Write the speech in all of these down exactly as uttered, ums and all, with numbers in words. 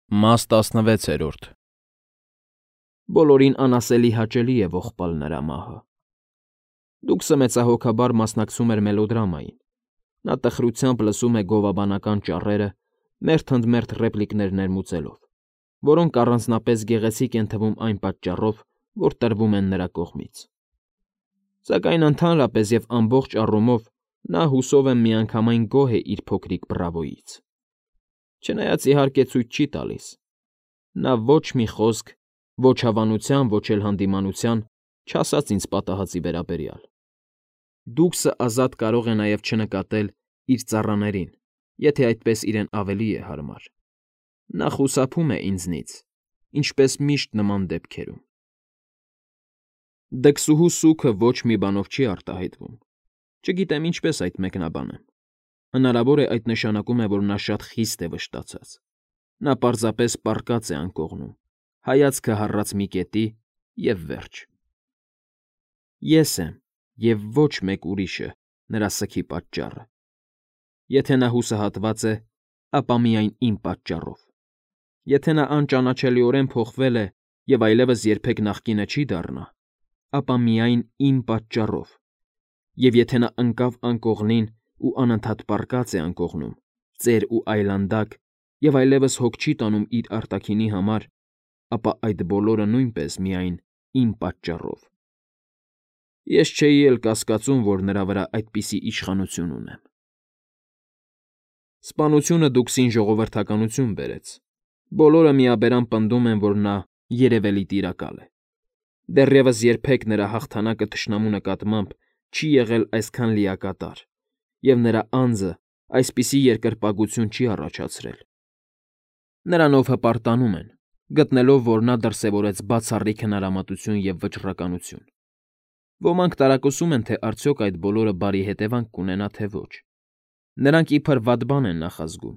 Մաս տասնվեցերորդ Բոլորին անասելի հաճելի է ողբալ նրա մահը։ Դուքսը մեծահոգաբար մասնակցում էր մելոդրամային, նա տխրությամբ լսում է գովաբանական ճառերը, մերթ ընդ մերթ ռեպլիկներ ներմուծելով, որոնք առանձնապես գեղեցիկ են թվում այն պատճառով, որ տրվում են նրա կողմից։ Սակայն ընդհանրապես և ամբողջ առումով նա հուսով եմ միանգամայն գոհ է իր փոքրիկ բրավոյից։ Չնայած իհարկե ցույց չի տալիս, նա ոչ մի խոսք, ոչ հավանության, ոչ էլ հանդիմանության չասաց ինձ պատահածի վերաբերյալ։ Դուքսը ազատ կարող է նաև չնկատել իր ծառաներին, եթե այդպես իրեն ավելի է հարմար։ Նա խուսափում է ինձնից, ինչպես միշտ նման դեպքերում։ Դքսուհու սուգը ոչ մի բանով չի արտահայտվում, չգիտեմ ինչպես այդ մեկնաբանեմ։ Հնարավոր է այդ նշանակում է, որ նա շատ խիստ է վշտացած։ Նա պարզապես պառկած է անկողնում, հայացքը հառած մի կետի, և վերջ։ Ես եմ, և ոչ մեկ ուրիշը նրա սգի պատճառը։ Եթե նա հուսահատված է, ապա միայն իմ պատճառով։ Եթե նա անճանաչելիորեն փոխվել է և այլևս երբեք նախկինը չի դառնա, ապա միայն իմ պատճառով, և եթե նա ընկավ անկողնին ու անընդհատ պառկած է անկողնում, ծեր ու այլանդակ և այլևս հոգ չի տանում իր արտաքինի համար, ապա այդ բոլորը նույնպես միայն իմ պատճառով։ Ես չէի էլ կասկածում, որ նրա վրա այդպիսի իշխանություն ունեմ։ Սպանությունը դուքսին ժողովրդականություն բերեց, բոլորը միաբերան պնդում են, որ նա երևելի տիրակալ է։ Դեռևս երբեք նրա հաղթանակը թշնամու նկատմամբ չի եղել այսքան լիակատար, և նրա անձը այսպիսի երկրպագություն չի առաջացրել։ Նրանով հպարտանում են, գտնելով, որ նա դրսևորեց բացառիկ հնարամտություն և վճռականություն։ Ոմանք տարակուսում են, թե արդյոք այդ բոլորը բարի հետևանք կունենա, թե ոչ։ Նրանք իբր վատ բան են նախազգում,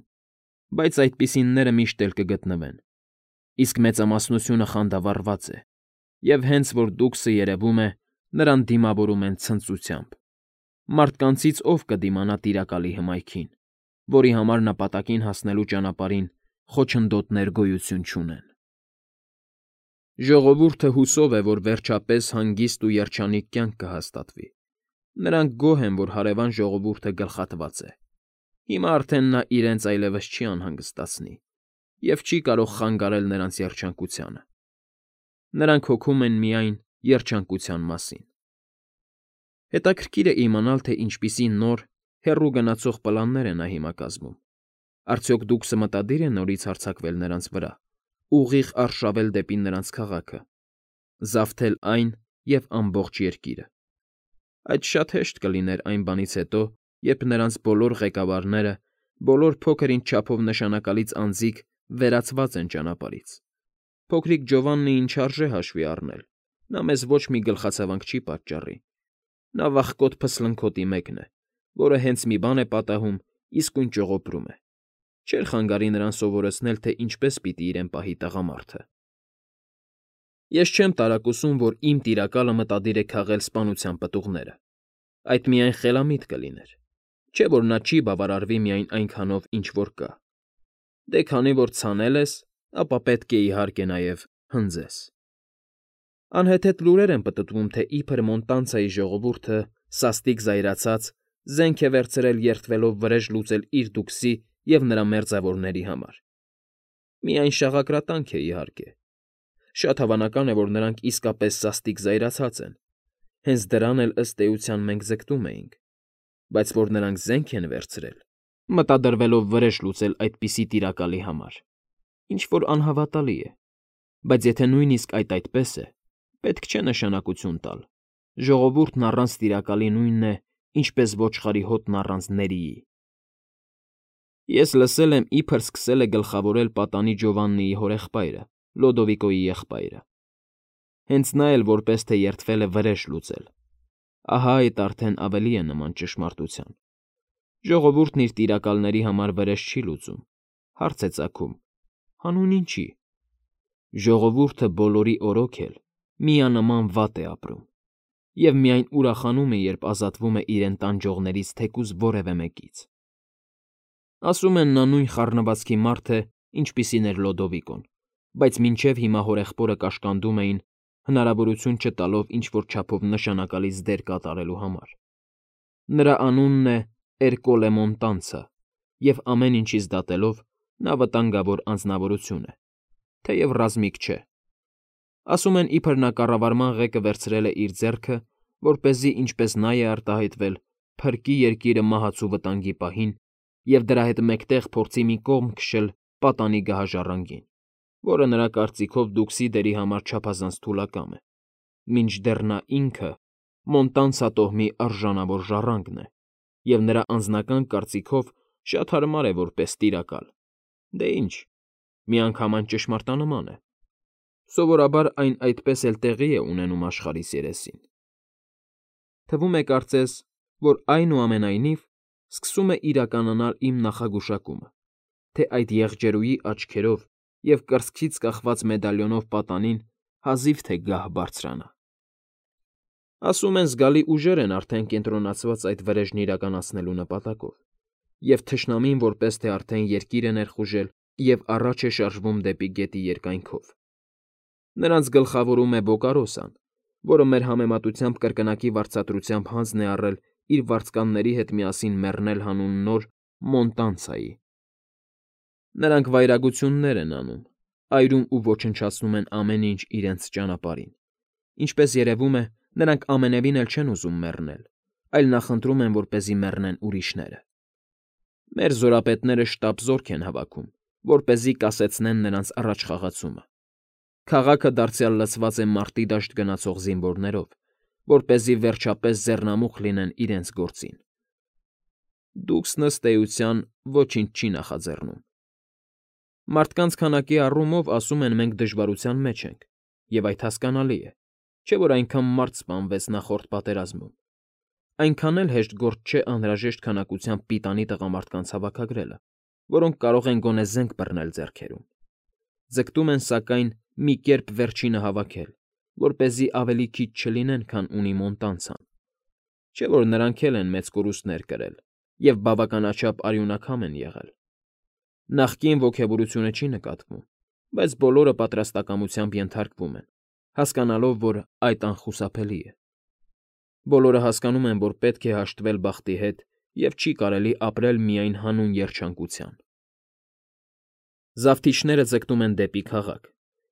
բայց այդպիսինները միշտ էլ կգտնվեն, իսկ մեծամասնությունը խանդավառված է, և հենց որ դուքսը երևում է, նրան դիմավորում են ցնծությամբ։ Մարդկանցից ով կդիմանա տիրակալի հմայքին, որի համար նպատակին հասնելու ճանապարհին խոչընդոտներ գոյություն չունեն։ Ժողովուրդը հուսով է, որ վերջապես հանգիստ ու երջանիկ կյանք կհաստատվի։ Նրանք գոհ են, որ հարևան ժողովուրդը գլխատված է։ Հիմա արդեն նա իրենց այլևս չի անհանգստացնի և չի կարող խանգարել նրանց երջանկությանը։ Նրանք հոգում են միայն երջանկության մասին։ Հետաքրքիր է իմանալ, թե ինչպիսի նոր, հեռու գնացող պլաններ է նա հիմա կազմում։ Արդյոք դուքսը մտադիր է նորից հարձակվել նրանց վրա, ուղիղ արշավել դեպի նրանց քաղաքը, զավթել այն և ամբողջ երկիրը։ Այդ շատ հեշտ կլիներ այն բանից հետո, երբ նրանց բոլոր ղեկավարները, բոլոր փոքր֊ինչ չափով նշանակալից անձիկ վերացված են ճանապարհից։ Փոքրիկ Ջովաննիին չարժե հաշվի առնել, նա մեզ ոչ մի գլխացավանք չի պատճառի։ Նա վախկոտ փսլնքոտի մեկն է, որը հենց մի բան է պատահում, իսկույն ճողոպրում է։ Չէր խանգարի նրան սովորեցնել, թե ինչպես պիտի իրեն պահի տղամարդը։ Ես չեմ տարակուսում, որ իմ տիրակալը մտադիր է քաղել սպանության պտուղները։ Այդ միայն խելամիտ կլիներ։ Չէ՞ որ նա չի բավարարվի միայն այնքանով, ինչ որ կա։ Դե քանի որ ցանել ես, ապա պետք է, իհարկե, նաև հնձես։ Անհեթեթ լուրեր են պտտվում, թե իբր Մոնտանցայի ժողովուրդը, սաստիկ զայրացած, զենք է վերցրել երդվելով վրեժ լուծել իր դուքսի և նրա մերձավորների համար։ Միայն շաղակրատանք է, իհարկե։ Շատ հավանական է, որ նրանք իսկապես սաստիկ զայրացած են, հենց դրան էլ ըստ էության մենք ձգտում էինք, բայց որ նրանք զենք են վերցրել, մտադրվելով վրեժ լուծել այդպիսի տիրակալի համար, ինչ֊որ անհավատալի է, բայց եթե նույնիսկ այդ այդպես է, պետք չէ նշանակություն տալ, ժողովուրդն առանց տիրակալի նույնն է, ինչպես ոչխարի հոտն առանց ներիի։ Ես լսել եմ, իբր սկսել է գլխավորել պատանի Ջովաննիի հորեղբայրը, Լոդովիկոյի եղբայրը։ Հենց նա էլ որպես թե երդվել է վրեժ լուծել։ Ահա այդ արդեն ավելի է նման ճշմարտության։ Ժողովուրդն իր տիրակալների համար վրեժ չի լուծում, հարց է ծագում՝ հանուն ինչի։ Ժողովուրդը բոլորի օրոք էլ միանման վատ է ապրում և միայն ուրախանում է, երբ ազատվում է իրեն տանջողներից թեկուզ որևէ մեկից։ Ասում են, նա նույն խառնվածքի մարդ է, ինչպիսին էր Լոդովիկոն, բայց մինչև հիմա հորեղբորը կաշկանդում էին, հնարավորություն չտալով ինչ-որ չափով նշանակալից դեր կատարելու համար։ Նրա անունն է Էրկոլե Մոնտանցը, և ամեն ինչից դատելով նա վտանգավոր անձնավորություն է, թեև ռազմիկ չէ։ Ասում են, իբր նա կառավարման ղեկը վերցրել է իր ձեռքը, որպեսզի, ինչպես նա է արտահայտվել, փրկի երկիրը մահացու վտանգի պահին և դրա հետ մեկտեղ փորձի մի կողմ քշել պատանի գահաժառանգին, որը նրա կարծիքով դուքսի դերի համար չափազանց թուլակամ է, մինչդեռ նա ինքը Մոնտանցա տոհմի արժանավոր ժառանգն է, և նրա անձնական կարծիքով շատ հարմար է որպես տիրակալ։ Դե ինչ, միանգամայն ճշմարտանման է։ Սովորաբար այն այդպես էլ տեղի է ունենում աշխարհիս երեսին։ Թվում է կարծես, որ այնուամենայնիվ սկսում է իրականանալ իմ նախագուշակումը, թե այդ եղջերուի աչքերով և կրծքից կախված մեդալիոնով պատանին հազիվ թե գահ բարձրանա։ Ասում են, զգալի ուժեր են արդեն կենտրոնացված այդ վրեժն իրականացնելու նպատակով, և թշնամին որպես թե արդեն երկիր է ներխուժել և առաջ է շարժվում դեպի գետի երկայնքով։ Նրանց գլխավորում է Բոկարոսան, որը մեր համեմատությամբ կրկնակի վարձատրությամբ հանձն է առել իր վարձկանների հետ միասին մեռնել հանուն նոր Մոնտանցայի։ Նրանք վայրագություններ են անում, այրում ու ոչնչացնում են ամեն ինչ իրենց ճանապարհին։ Ինչպես երևում է, նրանք ամենևին էլ չեն ուզում մեռնել, այլ նախընտրում են, որպեսզի մեռնեն ուրիշները։ Մեր զորապետները շտապ զորք են հավաքում, որպեսզի կասեցնեն նրանց առաջխաղացումը։ Քաղաքը դարձյալ լցված է մարտի դաշտ գնացող զինվորներով, որպեսզի վերջապես ձեռնամուխ լինեն իրենց գործին։ Դուքսն ըստ էության ոչինչ չի նախաձեռնում։ Մարդկանց քանակի առումով ասում են մենք դժվարության մեջ ենք, և այդ հասկանալի է, չէ՞ որ այնքան մարդ սպանվեց նախորդ պատերազմում։ Այնքան էլ հեշտ գործ չէ անհրաժեշտ քանակությամբ պիտանի տղամարդկանց հավաքագրելը, որոնք կարող են գոնե զենք բռնել ձեռքերում։ Ձգտում են, սակայն, մի կերպ վերջինը հավաքել, որպեսզի ավելի քիչ չլինեն, քան ունի Մոնտանցան։ Չէ՞ որ նրանք էլ են մեծ կորուստներ կրել և բավականաչափ արյունակամ են եղել։ Նախկին ոգևորությունը չի նկատվում, բայց բոլորը պատրաստակամությամբ ենթարկվում են, հասկանալով, որ այդ անխուսափելի է։ Բոլորը հասկանում են, որ պետք է հաշտվել բախտի հետ և չի կարելի ապրել միայն հանուն երջանկության։ Զավթիչները ձգտում են դեպի քաղաք,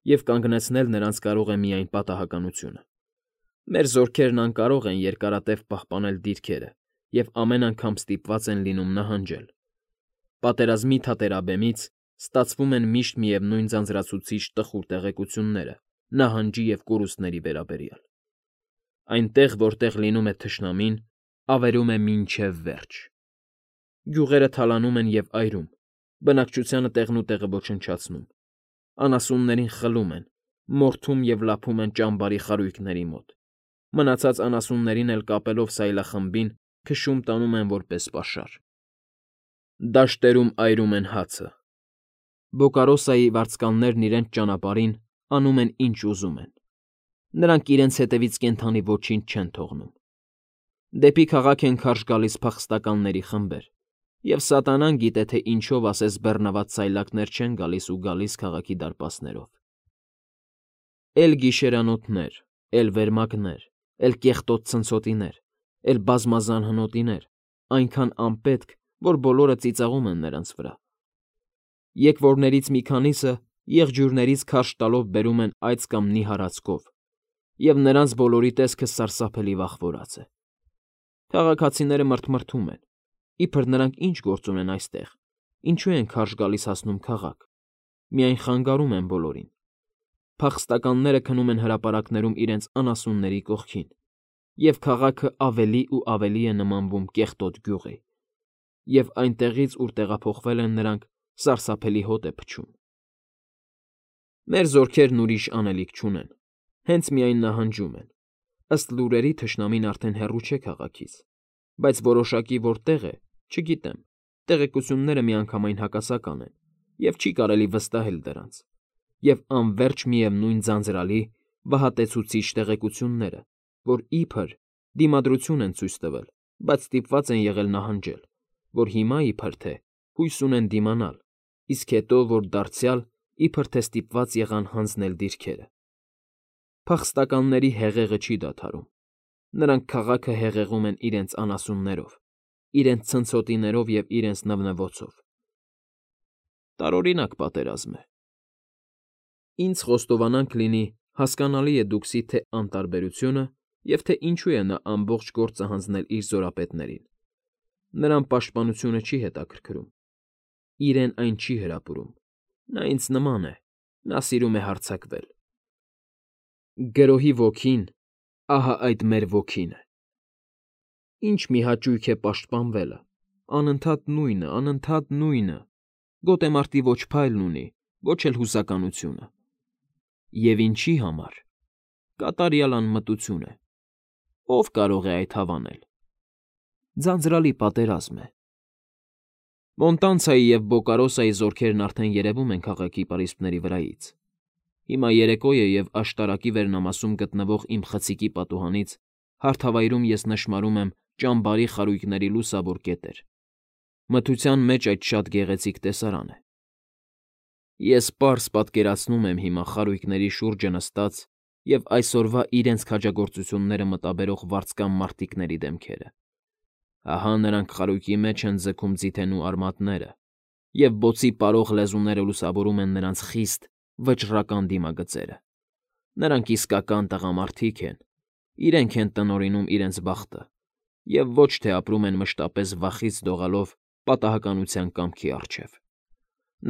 և կանգնեցնել նրանց կարող է միայն պատահականությունը։ Մեր զորքերն անկարող են երկարատև պահպանել դիրքերը և ամեն անգամ ստիպված են լինում նահանջել։ Պատերազմի թատերաբեմից ստացվում են միշտ միևնույն ձանձրացուցիչ տխուր տեղեկությունները նահանջի և կորուստների վերաբերյալ։ Այնտեղ, որտեղ լինում է թշնամին, ավերում է մինչև վերջ։ Գյուղերը թալանում են և այրում, բնակչությանը տեղնուտեղը ոչնչացնում, անասուններին խլում են, մորթում և լափում են ճամբարի խարույկների մոտ, մնացած անասուններին էլ կապելով սայլախմբին քշում տանում են որպես պաշար։ Դաշտերում այրում են հացը։ Բոկարոսայի վարձկաններն իրենց ճանապարհին անում են, ինչ ուզում են։ Նրանք իրենց հետևից կենդանի ոչինչ չեն թողնում։ Դեպի քաղաք են քարշ գալիս փախստականների խմբեր, և սատանան գիտե, թե ինչով ասես բեռնված սայլակներ չեն գալիս ու գալիս քաղաքի դարպասներով։ Էլ գիշերանոթներ, էլ վերմակներ, էլ կեղտոտ ցնցոտիներ, էլ բազմազան հնոտիներ, այնքան անպետք, որ բոլորը ծիծաղում են նրանց վրա։ Եկվորներից մի քանիսը եղջյուրներից քարշ տալով բերում են այծ կամ նիհար ածկով, և նրանց բոլորի տեսքը սարսափելի վախվորած է։ Քաղաքացիները մռթմռթում են, իբր նրանք ինչ գործ ունեն այստեղ, ինչու են քարշ գալիս հասնում քաղաք, միայն խանգարում են բոլորին։ Փախստականները քնում են հրապարակներում իրենց անասունների կողքին, և քաղաքը ավելի ու ավելի է նմանվում կեղտոտ գյուղի, և այնտեղից, ուր տեղափոխվել են նրանք, սարսափելի հոտ է փչում։ Մեր զորքերն ուրիշ անելիք չունեն, հենց միայն նահանջում են։ Ըստ լուրերի թշնամին արդեն հեռու չէ քաղաքից, բայց որոշակի որտեղ է, չգիտեմ, տեղեկությունները միանգամայն հակասական են, և չի կարելի վստահել դրանց, և անվերջ միևնույն ձանձրալի, վհատեցուցիչ տեղեկությունները, որ իբր դիմադրություն են ցույց տվել, բայց ստիպված են եղել նահանջել, որ հիմա, իբր թե, հույս ունեն դիմանալ, իսկ հետո, որ դարձյալ, իբր թե ստիպված եղան հանձնել դիրքերը։ Փախստականների հեղեղը չի դադարում։ Նրանք քաղաքը հեղեղում են իրենց անասուններով, իրենց ցնցոտիներով և իրենց նվնվոցով։ Տարօրինակ պատերազմ է։ Ինձ խոստովանանք լինի, հասկանալի է դուքսի թե անտարբերությունը և թե ինչու է նա ամբողջ գործը հանձնել իր զորապետներին։ Նրան պաշտպանությունը չի հետաքրքրում։ Իրեն այն չի հրապուրում։ Նա ինձ նման է, նա սիրում է հարձակվել։ Գրոհի ոգին, ահա այդ մեր ոգին է։ Ինչ մի հաճույք է պաշտպանվելը, անընդհատ նույնը, անընդհատ նույնը, գոտեմարտի ոչ փայլն ունի, ոչ էլ հուսականությունը։ Եվ ինչի համար։ Կատարյալ անմտություն է։ Ո՞վ կարող է այդ հավանել։ Ձանձրալի պատերազմ է։ Մոնտանցայի և Բոկարոսայի զորքերն արդեն երևում են քաղաքի պարիսպների վրայից։ Հիմա երեկո է և աշտարակի վերնամասում գտնվող իմ խցիկի պատուհանից հարթավայրում ես նշմարում եմ ճամբարի խարույկների լուսավոր կետեր։ Մթության մեջ այդ շատ գեղեցիկ տեսարան է։ Ես պարզ պատկերացնում եմ հիմա խարույկների շուրջը նստած և այսօրվա իրենց քաջագործությունները մտաբերող վարձկան մարտիկների դեմքերը։ Ահա նրանք խարույկի մեջ են ձգում ձիթենու արմատները, և բոցի պարող լեզուները լուսավորում են նրանց խիստ, վճռական դիմագծերը։ Նրանք իսկական տղամարդիկ են, իրենք են տնօրինում իրենց բախտը և ոչ թե ապրում են մշտապես վախից դողալով պատահականության կամքի առջև։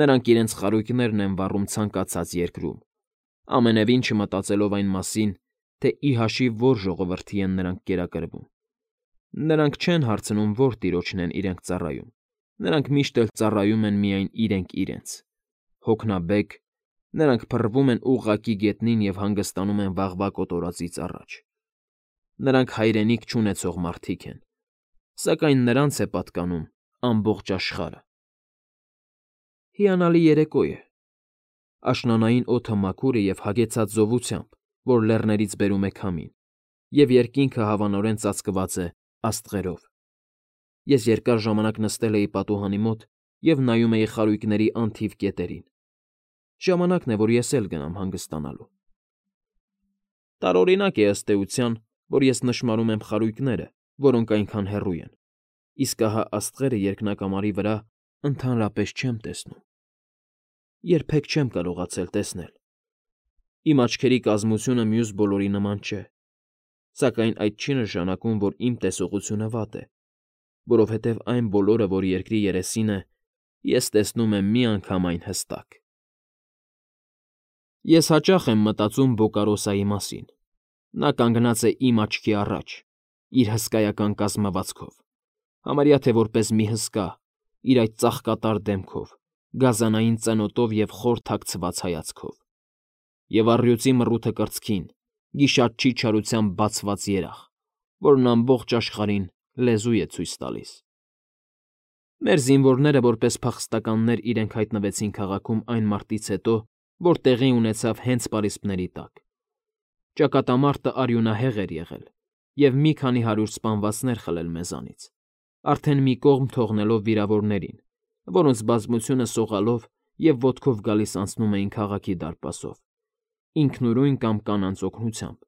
Նրանք իրենց խարույկներն են վառում ցանկացած երկրում, ամենևին չմտածելով այն մասին, թե ի հաշիվ որ ժողովրդի են նրանք կերակրվում։ Նրանք չեն հարցնում որ տիրոջն են իրենք ծառայում, նրանք միշտ էլ ծառայում են միայն իրենք իրենց։ Հոգնաբեկ, նրանք փռվում են ուղղակի գետնին և հանգստանում են վաղվա կոտորածից առաջ։ Նրանք հայրենիք չունեցող մարդիկ են, սակայն նրանց է պատկանում ամբողջ աշխարհը։ Հիանալի երեկո է։ Աշնանային օդը մաքուր է և հագեցած զովությամբ, որ լեռներից բերում է քամին, և երկինքը հավանորեն ծածկված է աստղերով։ Ես երկար ժամանակ նստել էի պատուհանի մոտ և նայում էի խարույկների անթիվ կետերին։ Ժամանակն է, որ ես էլ գնամ հանգստանալու։ Տարօրինակ է ըստ էության, որ ես նշմարում եմ խարույկները, որոնք այնքան հեռու են, իսկ ահա աստղերը երկնակամարի վրա ընդհանրապես չեմ տեսնում։ Երբեք չեմ կարողացել տեսնել։ Իմ աչքերի կազմությունը մյուս բոլորի նման չէ, սակայն այդ չի նշանակում, որ իմ տեսողությունը վատ է, որովհետև այն բոլորը, որ երկրի երեսին է, ես տեսնում եմ միանգամայն հստակ։ Ես հաճախ եմ մտածում Բոկարոսայի մասին։ Նա կանգնած է իմ աչքի առաջ, իր հսկայական կազմվածքով, համարյա թե որպես մի հսկա, իր այդ ծաղկատար դեմքով, գազանային ծնոտով և խոր թաքցված հայացքով, և առյուծի մռութը կրծքին, գիշատչի չարությամբ բացված երախ, որն ամբողջ աշխարհին լեզու է ցույց տալիս։ Մեր զինվորները որպես փախստականներ իրենք հայտնվեցին քաղաքում այն մարտից հետո, որ տեղի ունեցավ հենց պարիսպների տակ։ Ճակատամարտը արյունահեղ էր եղել և մի քանի հարյուր սպանվածներ խլել մեզանից, արդեն մի կողմ թողնելով վիրավորներին, որոնց բազմությունը սողալով և ոտքով գալիս անցնում էին քաղաքի դարպասով, ինքնուրույն կամ կանանց օգնությամբ,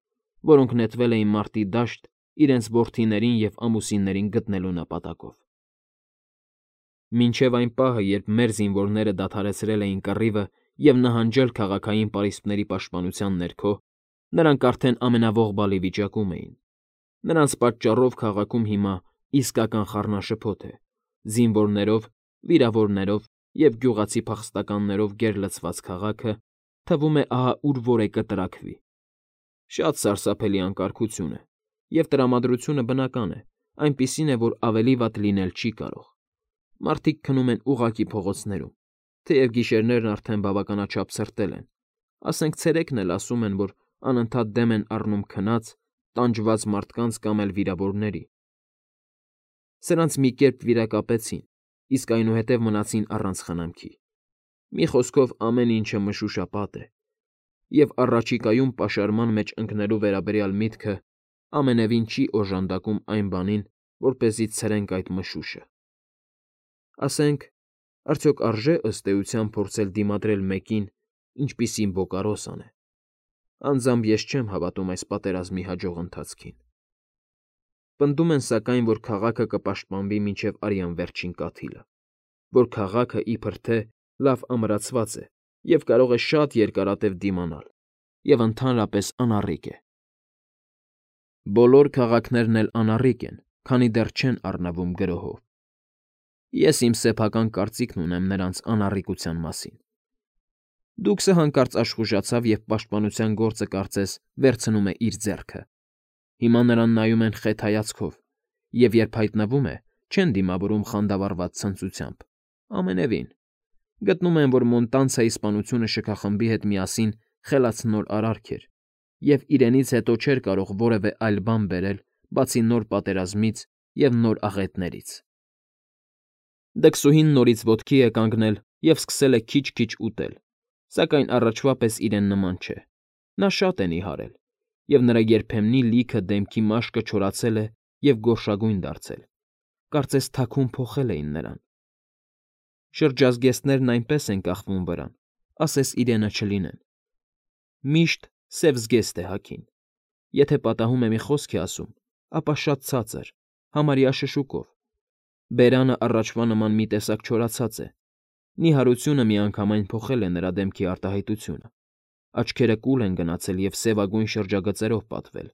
որոնք նետվել էին մարտի դաշտ իրենց որդիներին և ամուսիններին գտնելու նպատակով։ Մինչև այն պահը, երբ մեր զինվորները դադարեցրել էին կռիվը և նահանջել քաղաքային պարիսպների պաշտպանության ներքո, նրանք արդեն ամենաողբալի վիճակում էին։ Նրանց պատճառով քաղաքում հիմա իսկական խառնաշփոթ է, զինվորներով, վիրավորներով և գյուղացի փախստականներով գերլցված քաղաքը, թվում է ահա ուր որ է կտրաքվի։ Շատ սարսափելի անկարգություն է, և տրամադրությունը բնական է, այնպիսին է, որ ավելի վատ լինել չի կարող։ Մարդիկ քնում են ուղղակի փողոցներում, թեև գիշերներն արդեն բավականաչափ ցրտել են, ասենք ցերեկն էլ ասում են, որ անընդհատ դեմ են առնում քնած, տանջված մարդկանց կամ էլ վիրավորների։ Սրանց մի կերպ վիրակապեցին, իսկ այնուհետև մնացին առանց խնամքի։ Մի խոսքով ամեն ինչը մշուշապատ է, և առաջիկայում պաշարման մեջ ընկնելու վերաբերյալ միտքը ամենևին չի օժանդակում այն բանին, որպեսզի ցրենք այդ մշուշը։ Ասենք, Արդյոք արժե ըստ էության փորձել դիմադրել մեկին, ինչպիսին Բոկարոսան է։ Անձամբ ես չեմ հավատում այս պատերազմի հաջող ընթացքին։ Պնդում են սակայն, որ քաղաքը կպաշտպանվի մինչև արյան վերջին կաթիլը, որ քաղաքը իբր թե լավ ամրացված է և կարող է շատ երկարատև դիմանալ, և ընդհանրապես անառիկ է։ Բոլոր քաղաքներն էլ անառիկ են, քանի դեռ չեն առնվում գրոհով։ Ես իմ սեփական կարծիքն ունեմ նրանց անառիկության մասին։ Դուքսը հանկարծ աշխուժացավ և պաշտպանության գործը կարծես վերցնում է իր ձեռքը։ Հիմա նրան նայում են խետ հայացքով, և երբ հայտնվում է, չեն դիմավորում խանդավառված ցնծությամբ։ Ամենևին։ Գտնում են, որ Մոնտանցայի սպանությունը շքախմբի հետ միասին խելացնոր արարք էր, և իրենից հետո չէր կարող որևէ այլ բան բերել, բացի նոր պատերազմից և նոր աղետներից։ Դքսուհին նորից ոտքի է կանգնել և սկսել է քիչ֊քիչ ուտել, սակայն առաջվա պես իրեն նման չէ։ Նա շատ է նիհարել, և նրա երբեմնի լիքը դեմքի մաշկը չորացել է և գորշագույն դարձել, կարծես թաքուն փոխել էին նրան։ Շրջազգեստներն այնպես են կախվում վրան, ասես իրենը չլինեն։ Միշտ սև զգեստ է հագին։ Եթե պատահում է մի խոսք է ասում, ապա շատ ցածր, համարյա շշուկով։ Բերանը առաջվա նման մի տեսակ չորացած է։ Նիհարությունը միանգամայն փոխել է նրա դեմքի արտահայտությունը։ Աչքերը կուլ են գնացել և սևագույն շրջագծերով պատվել։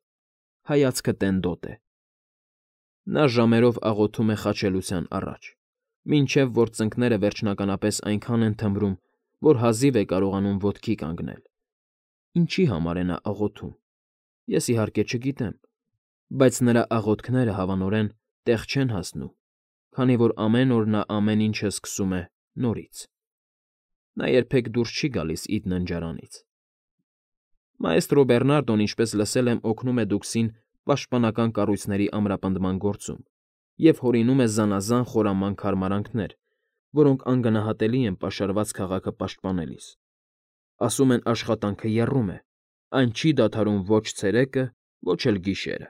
Հայացքը տենդոտ է։ Նա ժամերով աղոթում է խաչելության առաջ, մինչև որ ծնկները վերջնականապես այնքան են թմրում, որ հազիվ է կարողանում ոտքի կանգնել։ Ինչի համար է նա աղոթում, ես իհարկե չգիտեմ, բայց նրա աղոթքները հավանորեն տեղ չեն հասնում, քանի որ ամեն օր նա ամեն ինչը սկսում է նորից։ Նա երբեք դուրս չի գալիս իր ննջարանից։ Մայստրո Բերնարդոն, ինչպես լսել եմ, օգնում է դուքսին պաշտպանական կառույցների ամրապնդման գործում և հորինում է զանազան խորամանկ հարմարանքներ, որոնք անգնահատելի են պաշարված քաղաքը պաշտպանելիս։ Ասում են աշխատանքը եռում է, այն չի դադարում ոչ ցերեկը, ոչ էլ գիշերը։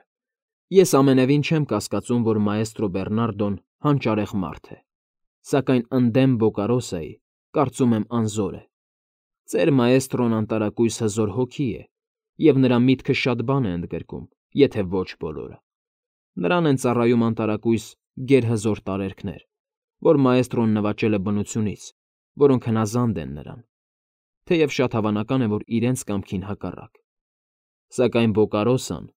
Ես ամենևին չեմ կասկածում, որ մայստրո Բերնարդոն հանճարեղ մարդ է, սակայն ընդդեմ Բոկարոսայի, կարծում եմ, անզոր է։ Ծեր մայստրոն անտարակույս հզոր հոգի է, և նրա միտքը շատ բան է ընդգրկում, եթե ոչ բոլորը։ Նրան են ծառայում անտարակույս գերհզոր տարերքներ, որ մայստրոն նվաճել է բնությունից, որոնք հնազանդ են նրան, թեև շատ հավանական է, որ իրենց կամքին հակառակ։ Սակայն Բոկարոսան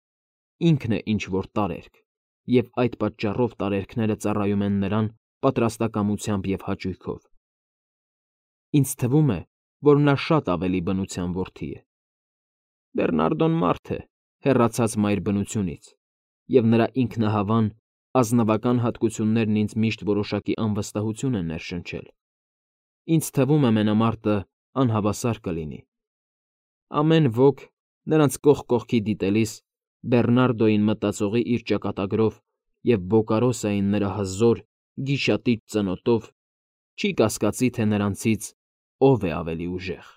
ինքն է ինչ֊որ տարերք, և այդ պատճառով տարերքները ծառայում են նրան պատրաստակամությամբ և հաճույքով։ Ինձ թվում է, որ նա շատ ավելի բնության որդի է։ Բերնարդոն մարդ է, հեռացած մայր բնությունից, և նրա ինքնահավան, ազնվական հատկություններն ինձ միշտ որոշակի անվստահություն են ներշնչել։ Ինձ թվում է, մենամարտը անհավասար կլինի։ Ամեն ոք, նրանց կողք կողքի դիտելիս, Բերնարդոյին մտածողի իր ճակատագրով և Բոկարոսային նրա հզոր, գիշատիպ ծնոտով, չի կասկածի, թե նրանցից ով է ավելի ուժեղ։